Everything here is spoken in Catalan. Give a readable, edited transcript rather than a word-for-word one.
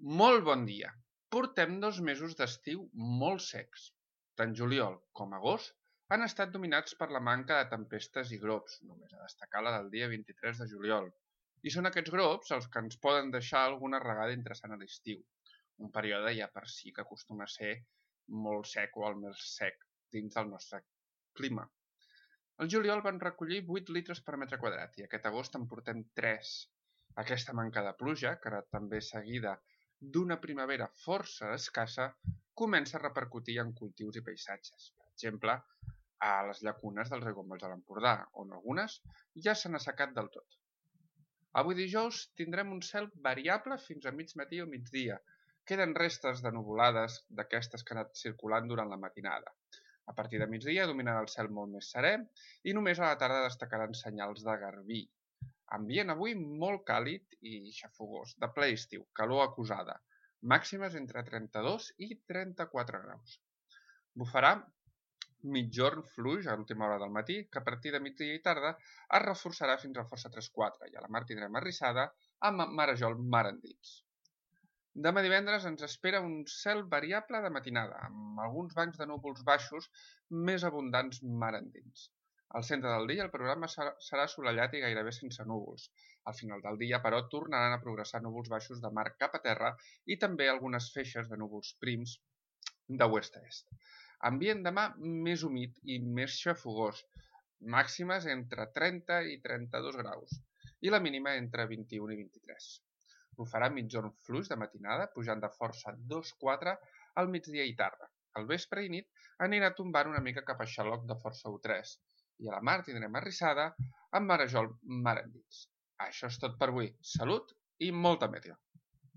Molt bon dia. Portem 2 mesos d'estiu molt secs. Tant juliol com agost han estat dominats per la manca de tempestes i glops, només a destacar la del dia 23 de juliol. I són aquests glops els que ens poden deixar alguna regada interessant a l'estiu, un període ja per si que acostuma a ser molt sec o el més sec dins del nostre clima. El juliol van recollir 8 litres per metre quadrat i aquest agost en portem 3. Aquesta manca de pluja, que ara també seguida d'una primavera força escassa, comença a repercutir en cultius i paisatges. Per exemple, a les llacunes dels aiguamolls de l'Empordà, on algunes ja s'han assecat del tot. Avui dijous tindrem un cel variable fins a mig matí o migdia. Queden restes de nuvolades d'aquestes que han anat circulant durant la matinada. A partir de migdia dominarà el cel molt més serè i només a la tarda destacaran senyals de garbí. Ambient avui molt càlid i xafogós, de ple estiu, calor acusada, màximes entre 32 i 34 graus. Bufarà mitjorn fluix a l'última hora del matí, que a partir de migdia i tarda es reforçarà fins a força 3-4 i a la mar tindrem arrissada amb marejol mar endins. Demà divendres ens espera un cel variable de matinada, amb alguns bancs de núvols baixos més abundants mar endins. Al centre del dia el programa serà assolellat i gairebé sense núvols. Al final del dia, però, tornaran a progressar núvols baixos de mar cap a terra i també algunes feixes de núvols prims de oest a est. Ambient demà més humit i més xafogós, màximes entre 30 i 32 graus i la mínima entre 21 i 23. Bufarà mitjorn fluix de matinada, pujant de força 2-4 al migdia i tarda. Al vespre i nit anirà tombant una mica cap a xaloc de força 1-3 i a la mar tindrem arrissada amb marejol mar endins. Això és tot per avui. Salut i molta meteo!